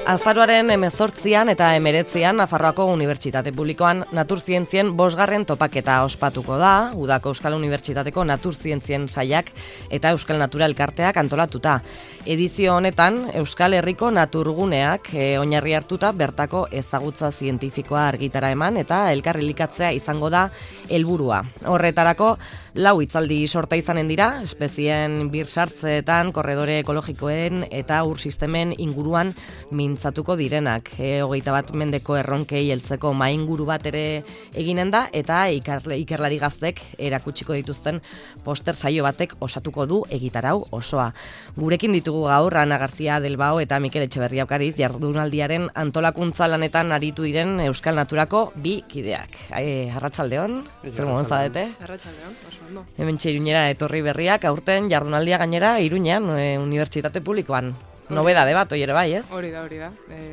Azaroaren 18an eta 19an Nafarroako Unibertsitate Publikoan naturzientzien 5. topaketa ospatuko da, Udako Euskal Unibertsitateko naturzientzien saiak eta Euskal Natura Elkarteak antolatuta. Edizio honetan, Euskal Herriko naturguneak oinarri hartuta bertako ezagutza zientifikoa argitara eman eta elkarrilikatzea izango da helburua. Horretarako, 4 hitzaldi sorta izanen dira, espezien birsartzeetan, korredore ekologikoen eta ur sistemen inguruan mintzatuko direnak. 21 mendeko erronkei heltzeko mainguru bat ere eginen da, eta ikerlari gaztek erakutsiko dituzten poster saio batek osatuko du egitarau osoa. Gurekin ditugu gaur Ana García del Bao eta Mikel Etxeberria Okariz jardunaldiaren antolakuntza lanetan aritu diren Euskal Naturako 2 kideak. Arratsaldeon, zer modun zaudete? Arratsaldeon, oso ondo. Hementxe Iruñera etorri berriak, aurten jardunaldia gainera Iruñean, Unibertsitate Publikoan. Nobedade bat, ere bai, ez? Hori da.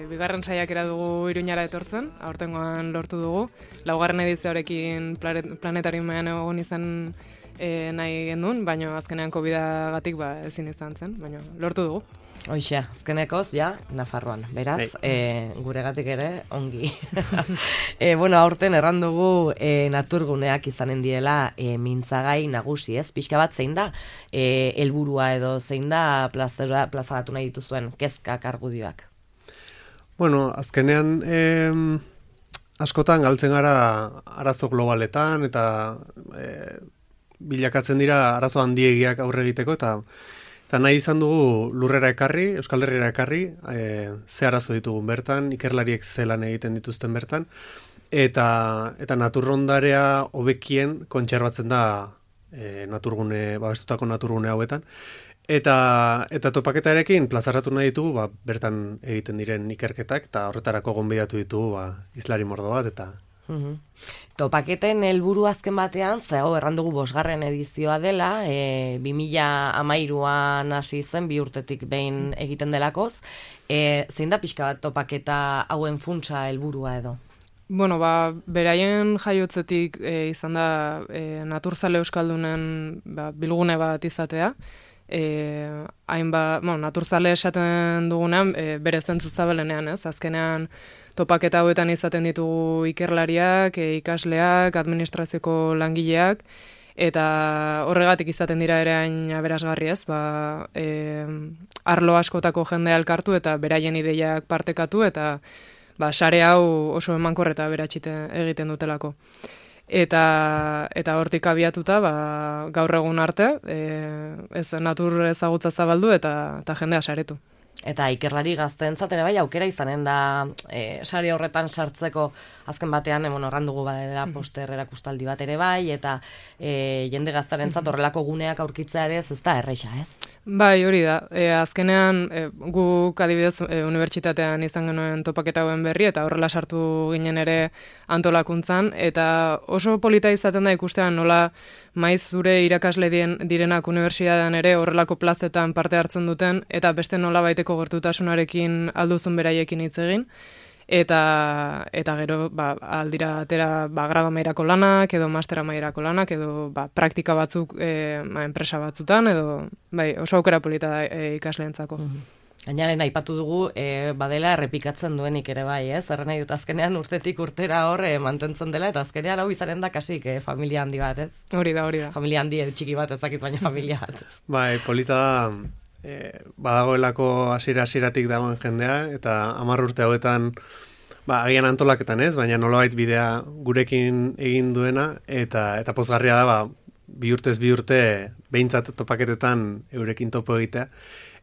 Bigarren saiakera dugu Iruñara etortzen, aurtengoan lortu dugu. 4. edizioarekin planetariumean egon izan nahi gendun, baina azkenean COVID-agatik ezin izan zen, baina lortu dugu. Hoxe, azkenekoz, Nafarroan. Beraz, guregatik ere, ongi. Aurten erran dugu naturguneak izanen diela mintzagai nagusi, ez? Pixka bat zein da helburua edo zein da plazaratu nahi dituzuen kezkak argudioak? Azkenean askotan galtzen gara arazo globaletan eta bilakatzen dira arazo handiegiak aurre egiteko eta nahi izan dugu lurrera ekarri, Euskal Herriera ekarri, ze arazo ditugun bertan, ikerlariek zelan egiten dituzten bertan, eta naturrondarea hobekien kontserbatzen da babestutako naturgune hauetan. Eta topaketarekin plazaratu nahi ditugu bertan egiten diren ikerketak, eta horretarako gonbidatu ditugu izlari mordo bat, eta... Topaketen helburu azken batean, erran dugu 5. edizioa dela, 2013an hasi zen, 2 urtetik behin egiten delakoz. Zein da pixka bat topaketa hauen funtsa helburua edo? Beraien jaiotzetik izan da naturzale euskaldunen bilgune bat izatea. Naturzale esaten dugunean bere zentzu zabalenean, ez? Azkenean topaketa hauetan izaten ditugu ikerlariak, ikasleak, administrazioko langileak, eta horregatik izaten dira ere hain aberasgarri, ez? Arlo askotako jendea elkartu eta beraien ideiak partekatu, eta sare hau oso emankor eta aberatxite egiten dutelako. Eta hortik abiatuta, gaur egun arte, natur ezagutza zabaldu eta jendea saretu. Eta ikerlari gazteentzat ere bai aukera izanen da sare horretan sartzeko azken batean erran dugu badela poster erakustaldi bat ere bai, eta jende gaztarentzat horrelako guneak aurkitzea ere ez da erresa, ez? Bai, hori da. Azkenean guk adibidez unibertsitatean izan genuen topaketa hauen berri eta horrela sartu ginen ere antolakuntzan, eta oso polita izaten da ikustean nola maiz zure irakasle direnak unibertsitatean ere horrelako plazetan parte hartzen duten, eta beste nola baiteko gertutasunarekin alduzun beraiekin hitz egin, eta gero aldira atera grado mailako lanak edo master mailako lanak edo praktika batzuk enpresa batzutan edo oso aukera polita da ikasleentzako. Gainaren aipatu dugu badela errepikatzen duenik ere bai, ez? Erren nahi dut azkenean urtetik urtera hor mantentzen dela eta azkenean hau izanen da kasik familia handi bat, ez? Hori da. Familia handi txiki bat ezakit baina familia bat. Polita da badagoelako hasieratik dagoen jendea, eta 10 urte hauetan agian antolaketan ez, baina nolabait bidea gurekin egin duena, eta pozgarria da 2 urtez 2 urte behintzat topaketetan eurekin topo egitea,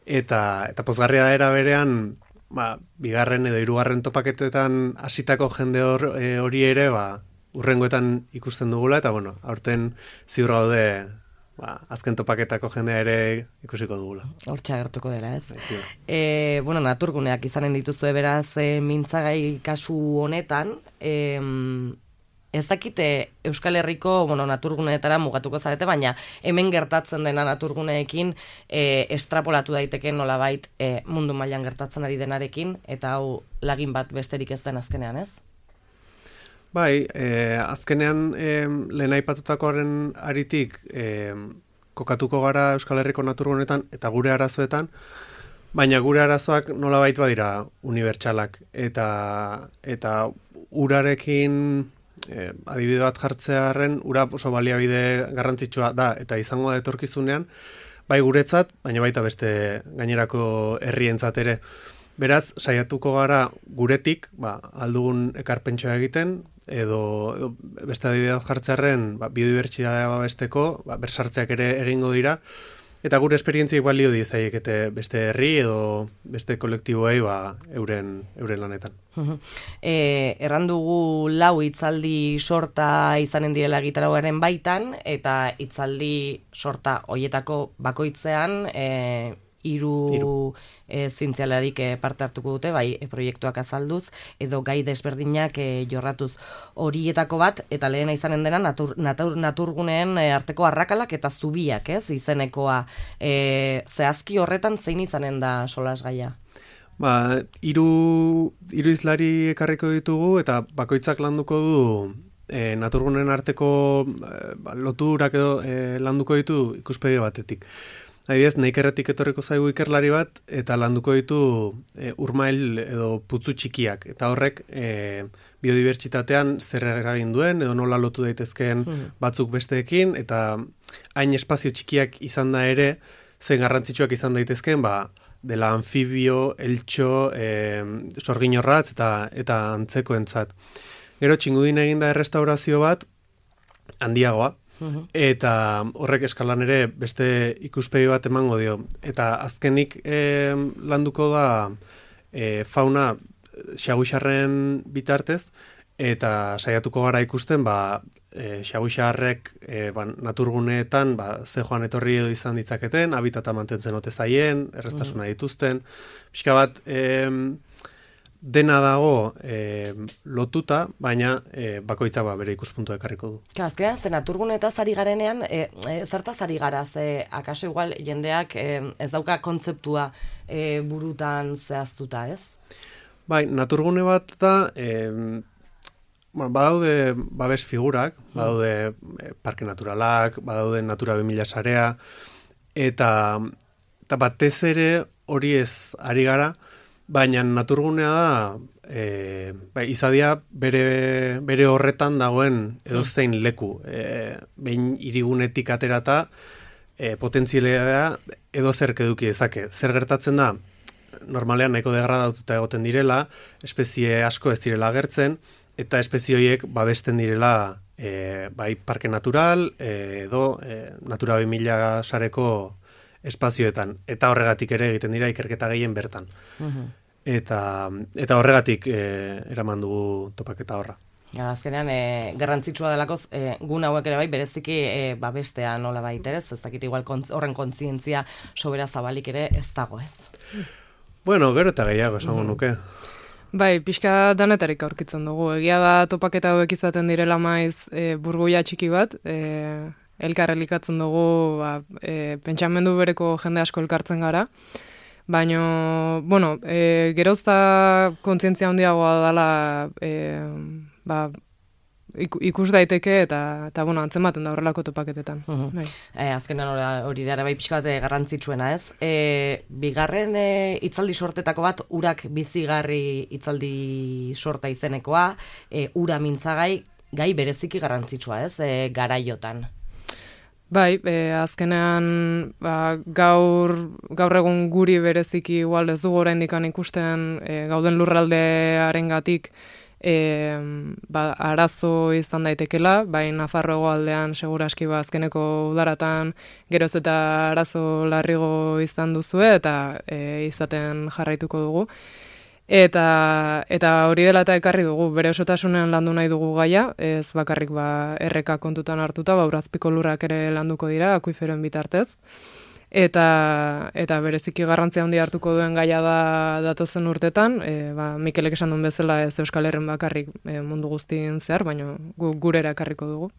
eta pozgarria da era berean 2. edo 3. topaketetan hasitako jende hori ere urrengoetan ikusten dugula, eta aurten ziur gaude azken topaketako jendea ere ikusiko dugula. Hortxe agertuko dela, ez? Naturguneak izanen dituzue beraz mintzagai kasu honetan, ez dakite Euskal Herriko naturguneetara mugatuko zarete, baina hemen gertatzen dena naturguneekin estrapolatu daiteke nolabait mundu mailan gertatzen ari denarekin, eta hau lagin bat besterik ez den azkenean, ez? Azkenean lehen aipatutakoaren aritik kokatuko gara Euskal Herriko naturgunetan eta gure arazoetan, baina gure arazoak nolabait badira unibertsalak, eta urarekin adibide bat jartzearen, ura oso baliabide garrantzitsua da, eta izango da etorkizunean, bai guretzat, baina baita beste gainerako herrientzat ere. Beraz, saiatuko gara guretik, aldugun ekarpentsua egiten, edo beste adibide bat jartzearen, biodibertsitatea babesteko, bersartzeak ere egingo dira, eta gure esperientziek balio dizaiekete beste herri edo beste kolektiboei euren lanetan. Erran dugu 4 hitzaldi sorta izanen direla egitarauaren baitan, eta hitzaldi sorta hoietako bakoitzean 3 zientzialarik parte hartuko dute, bai proiektuak azalduz, edo gai desberdinak jorratuz. Horietako bat, eta lehena izanen dena, naturguneen arteko arrakalak eta zubiak, izenekoa. Zehazki horretan zein izanen da solasgaia? 3 izlari ekarriko ditugu, eta bakoitzak landuko du naturgunen arteko loturak edo landuko ditu ikuspegi batetik. Adibidez, Neikerretik etorriko zaigu ikerlari bat, eta landuko ditu urmail edo putzu txikiak. Eta horrek biodibertsitatean zer eragin duen, edo nola lotu daitezkeen batzuk besteekin, eta hain espazio txikiak izan da ere, zen garrantzitsuak izan daitezkeen, dela anfibio, eltxo, sorginorratz eta antzekoentzat. Gero txingudin eginda errestaurazio bat, handiagoa, eta horrek eskalan ere beste ikuspegi bat emango dio. Eta azkenik landuko da fauna xaguixarren bitartez, eta saiatuko gara ikusten xaguixarrek naturguneetan ze joan etorri edo izan ditzaketen, habitata mantentzen ote zaien, errestasuna dituzten, pixka bat dena dago lotuta, baina bakoitzak bere ikuspuntua ekarriko du. Azkenean, ze naturgunetaz ari garenean, zertaz ari gara, akaso igual jendeak ez dauka kontzeptua burutan zehaztuta, ez? Bai, naturgune bat da, badaude babes figurak, badaude parke naturalak, badaude Natura 2000 sarea, eta batez ere hori ez ari gara, baina naturgunea da, izadia bere horretan dagoen edozein leku. Behin hirigunetik aterata, potentzialea edozerk eduki dezake. Zer gertatzen da, normalean nahiko degradatuta egoten direla, espezie asko ez direla agertzen, eta espezie horiek babesten direla bai parke natural edo Natura 2000 sareko espazioetan, eta horregatik ere egiten dira ikerketa gehien bertan. Eta horregatik eraman dugu topaketa horra. Azkenean, garrantzitsua delakoz, gun hauek ere bai, bereziki babestea nola baita, ez dakit igual horren kontzientzia sobera zabalik ere ez dago, ez? Bueno, gero eta gehiago esango nuke. Bai, pixka danetarik aurkitzen dugu. Egia da topaketa hauek izaten direla maiz burgoia txiki bat, elkar elikatzen dugu, pentsamendu bereko jende asko elkartzen gara, baina, bueno, gerozta kontzientzia handiagoa dela, ikus daiteke eta bueno, antzematen da horrelako topaketetan. Azkenan hori dara bai pixka bat garrantzitsuena, ez? Bigarren hitzaldi sortetako bat, urak bizigarri hitzaldi sorta izenekoa, ura mintzagai, gai bereziki garrantzitsua, ez? Garaiotan. Bai, azkenean gaur egun guri bereziki igual ez dugu oraindik ikusten gauden lurraldearengatik arazo izan daitekela, bai Nafarroa hegoaldean seguraski azkeneko udaratan geroz eta arazo larrigo izan duzue eta izaten jarraituko dugu. Eta hori dela eta ekarri dugu, bere osotasunean landu nahi dugu gaia, ez bakarrik erreka kontutan hartuta, urazpiko lurrak ere landuko dira, akuiferoen bitartez. Eta bereziki garrantzia handia hartuko duen gaia da datozen urtetan, Mikelek esan duen bezala ez Euskal Herren bakarrik mundu guztien zehar, baina gurera ekarriko dugu.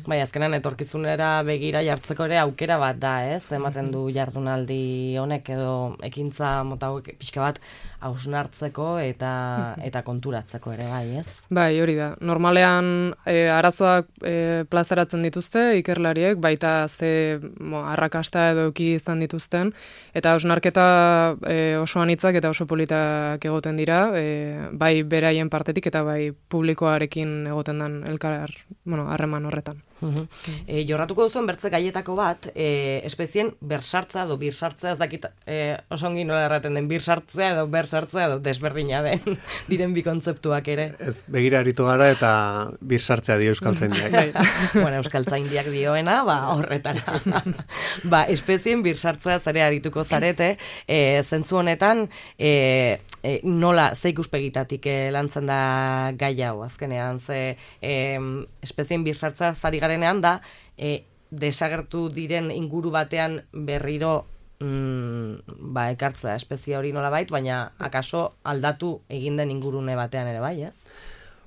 Bai, azkenan etorkizunera begira jartzeko ere aukera bat da, ez? Ematen du jardunaldi honek edo ekintza mota hauek pixka bat hausnartzeko eta konturatzeko ere bai, ez? Bai, hori da. Normalean arazoak plazaratzen dituzte ikerlariek, baita arrakasta edo euki izan dituzten, eta hausnarketa oso anitzak eta oso politak egoten dira, bai beraien partetik eta bai publikoarekin egoten den harreman horretan. Jorratuko duzuen bertze gaietako bat, espezien bersartza edo birsartzea, ez dakit oso ongi nola erraten den, birsartzea edo bersartzea edo desberdina den, diren bi kontzeptuak ere. Ez, begira aritu gara eta birsartzea dio euskaltzaindiak. Bueno, euskaltzaindiak dioena, horretara. Espezien birsartzea zare arituko zarete, zentzu honetan, nola, ze ikuspegitatik lantzen da gai hau, azkenean, espezien birsartzea zari garenean da, desagertu diren inguru batean berriro ekartzea espezie hori nola bait, baina akaso aldatu egin den ingurune batean ere bai, ez?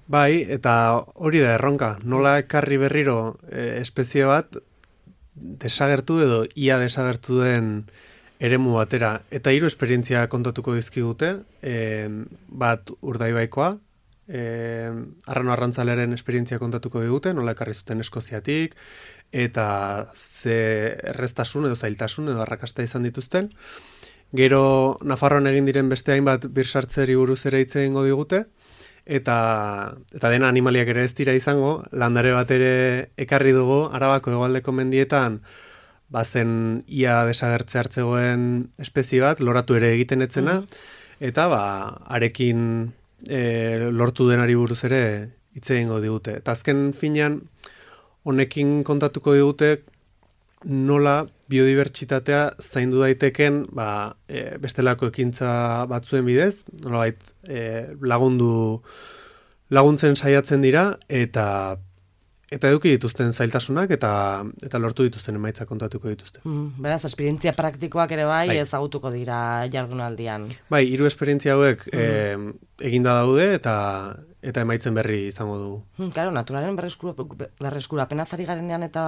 Bai, eta hori da erronka, nola ekarri berriro espezie bat desagertu edo ia desagertu den eremu batera. Eta 3 esperientzia kontatuko dizkigute, bat Urdaibaikoa, arrano arrantzaleren esperientzia kontatuko digute, nola ekarri zuten Eskoziatik, eta ze erreztasun edo zailtasun edo arrakasta izan dituzten. Gero Nafarroan egin diren beste hainbat birsartzeri buruz ere hitz egingo digute, eta dena animaliak ere ez dira izango, landare bat ere ekarri dugu Arabako hegoaldeko mendietan, bazen ia desagertze hartzegoen espezie bat, loratu ere egiten etzena, eta arekin lortu denari buruz ere hitz egingo digute. Eta azken finean, honekin kontatuko digute nola biodibertsitatea zaindu daiteken bestelako ekintza batzuen bidez, nolabait laguntzen saiatzen dira eta eduki dituzten zailtasunak eta lortu dituzten emaitza kontatuko dituzte. Beraz, esperientzia praktikoak ere bai ezagutuko dira jardunaldian. Bai, 3 esperientzia hauek eginda daude eta emaitzen berri izango dugu. Claro, naturalen berreskurapena zari garenean eta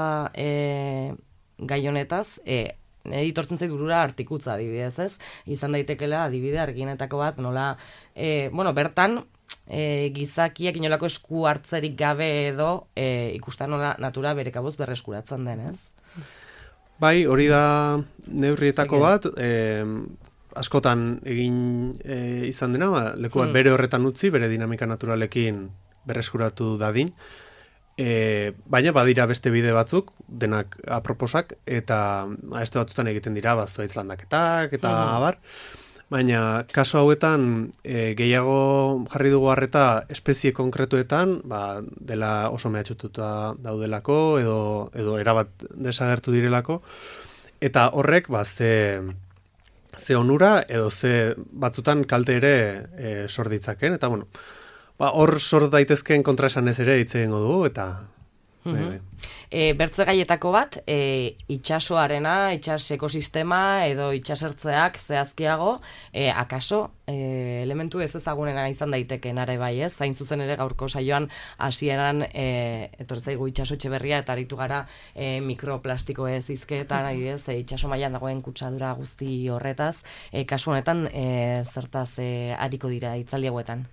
gai honetaz, editortzen zait burura artikutza adibidez, ez? Izan daitekela adibide argienetako bat, nola, bertan, gizakiak inolako esku hartzerik gabe edo ikusten nola natura bere kabuz berreskuratzen den, ez? Bai, hori da neurrietako bat, askotan egin izan dena, leku bat bere horretan utzi, bere dinamika naturalekin berreskuratu dadin, baina badira beste bide batzuk, denak aproposak, eta beste batzutan egiten dira, zuhaitz landaketak, eta abar, baina kaso hauetan gehiago jarri dugu harreta espezie konkretuetan, dela oso mehatxututa daudelako, edo erabat desagertu direlako, eta horrek ze onura edo ze batzutan kalte ere sor ditzaken, eta hor sor daitezkeen kontraesanez ere hitz egingo dugu, eta bertze gaietako bat, itxasoarena, itxas ekosistema edo itxasertzeak zehazkiago, akaso elementu ez ezagunena izan daitekeen are bai, ez? Zain zuzen ere gaurko saioan hasieran etortzaigu itxaso Etxeberria eta aritu gara mikroplastiko ez hizketan, adibidez, itxaso mailan dagoen kutsadura guzti horretaz, kasu honetan zertaz ariko dira hitzaldi hauetan.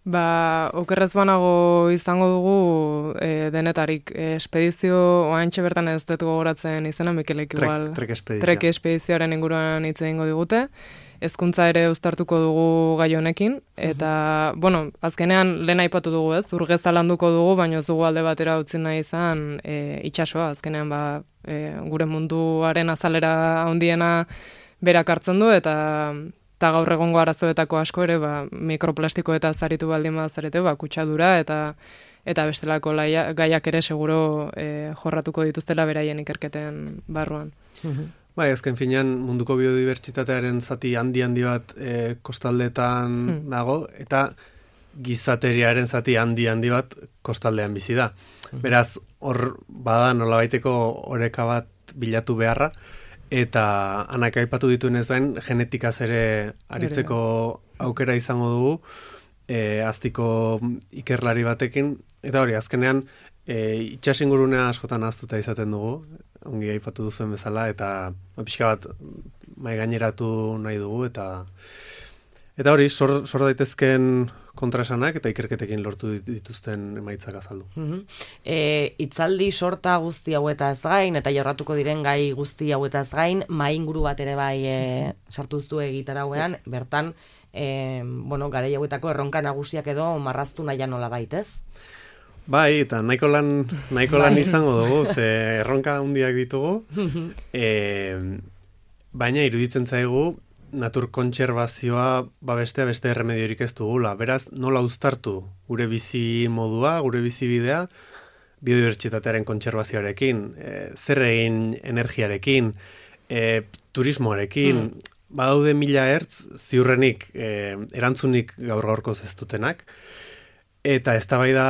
Okerrez banago izango dugu denetarik espedizio oaintxe bertan ez dut gogoratzen izena, Mikelek igual trek espedizioaren inguruan hitz egingo digute, hezkuntza ere uztartuko dugu gai honekin, eta, azkenean lehen aipatu dugu ez, urgeza landuko dugu, baina ez dugu alde batera utzi nahi izan itxasoa, azkenean gure munduaren azalera handiena berak hartzen du, eta gaur egongo arazoetako asko ere mikroplastiko eta zaritu baldin bazarete kutsadura eta bestelako gaiak ere seguro jorratuko dituztela beraien ikerketen barruan. Bai, azken finean munduko biodibertsitatearen zati handi bat kostaldetan dago, eta gizateriaren zati handi bat kostaldean bizi da. Beraz, hor bada nolabaiteko oreka bat bilatu beharra, eta anak aipatu dituenez gain genetikaz ere aritzeko aukera izango dugu, aztiko ikerlari batekin, eta hori, azkenean itxasingurunea askotan ahaztuta izaten dugu, ongi aipatu duzuen bezala, eta pixka bat mai gaineratu nahi dugu, eta Eta hori, sor daitezken kontraesanak eta ikerketekin lortu dituzten emaitzak azaldu. Itzaldi sorta guzti hauetaz gain, eta jorratuko diren gai guzti hauetaz gain, mainguru bat ere bai sartu duztu egitarauean, bertan, garai hauetako erronka nagusiak edo marraztu nahian nola baitez? Bai, eta nahiko lan izango dugu, erronka handiak ditugu, baina iruditzen zaigu, natur kontserbazioa beste erremediorik ez dugula. Beraz, nola uztartu gure bizi modua, gure bizi bidea, biodibertsitatearen kontserbazioarekin, zer egin energiarekin, turismoarekin, badaude 1000 ertz, ziurrenik erantzunik gaur-gaurkoz ez dutenak, eta eztabaida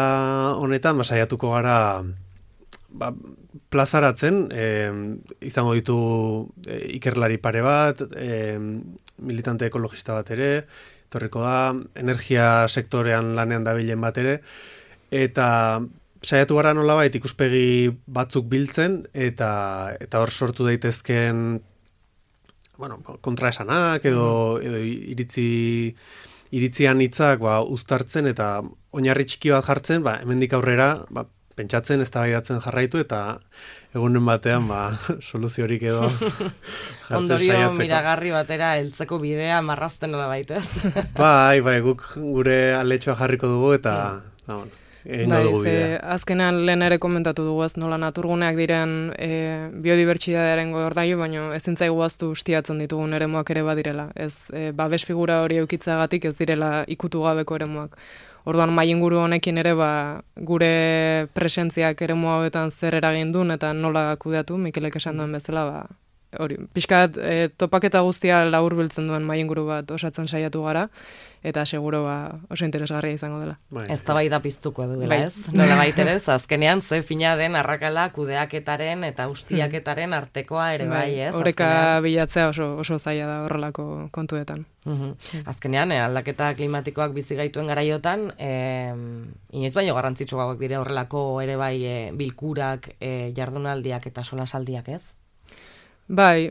honetan saiatuko gara plazaratzen, izango ditu ikerlari pare bat, militante ekologista bat ere, etorriko da, energia sektorean lanean dabilen bat ere, eta saiatu gara nolabait ikuspegi batzuk biltzen, eta hor sortu daitezken kontraesanak edo iritzian hitzak uztartzen eta oinarri txiki bat jartzen, hemendik aurrera pentsatzen, eztabaidatzen jarraitu eta egunen batean soluziorik edo jartzen saiatzeko. Ondorio miragarri batera heltzeko bidea marrazten nola baitez. Bai, guk gure aletxoa jarriko dugu eta azkenean lehen ere komentatu dugu ez nola naturguneak diren biodibertsitatearen gordailu, baina ezin zaigu ahaztu ustiatzen ditugun eremuak ere badirela. Ez babes figura hori eukitzagatik ez direla ikutu gabeko eremuak. Orduan mainguru honekin ere gure presentziak eremu hauetan zer eragin duen eta nola kudeatu, Mikelek esan duen bezala, hori, pixkat topaketa guztia laburbiltzen duen mainguru bat osatzen saiatu gara, eta seguro oso interesgarria izango dela. Eztabaida piztuko duela, ez? Nola baitere, azkenean ze fina den arrakala kudeaketaren eta ustiaketaren artekoa ere bai, ez? Horeka bilatzea oso zaila da horrelako kontuetan. Azkenean, aldaketa klimatikoak bizi gaituen garaiotan, inoiz baino garrantzitsuagoak dire horrelako ere bai bilkurak, jardunaldiak eta solasaldiak, ez? Bai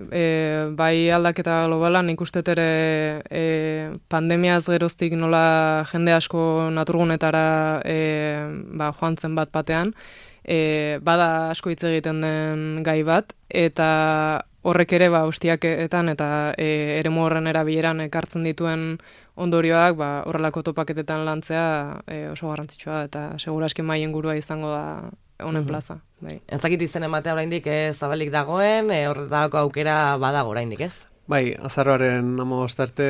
aldaketa globalan ikustet ere pandemiaz geroztik nola jende asko naturgunetara joan zen bat batean, bada asko hitz egiten den gai bat, eta horrek ere ustiaketan eta eremu horren erabileran ekartzen dituen ondorioak horrelako topaketetan lantzea oso garrantzitsua eta seguraski mahaingurua izango da honen plaza. Ez dakit izen ematea oraindik zabalik dagoen, horretako aukera badago oraindik, ez? Bai, azaroaren 15 arte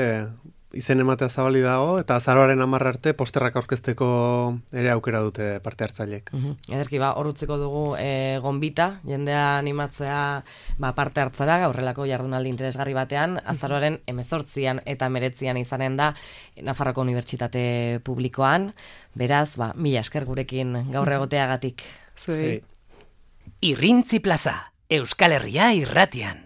izen ematea zabalik dago, eta azaroaren 10 arte posterrak aurkezteko ere aukera dute parte hartzaileek. Ederki, hor utziko dugu gonbita, jendea animatzea parte hartzara, horrelako jardunaldi interesgarri batean, azaroaren 18an eta 19an izanen da Nafarroako Unibertsitate Publikoan, beraz, mila esker gurekin gaur egoteagatik. Zuei. Irrintzi plaza, Euskal Herria irratian.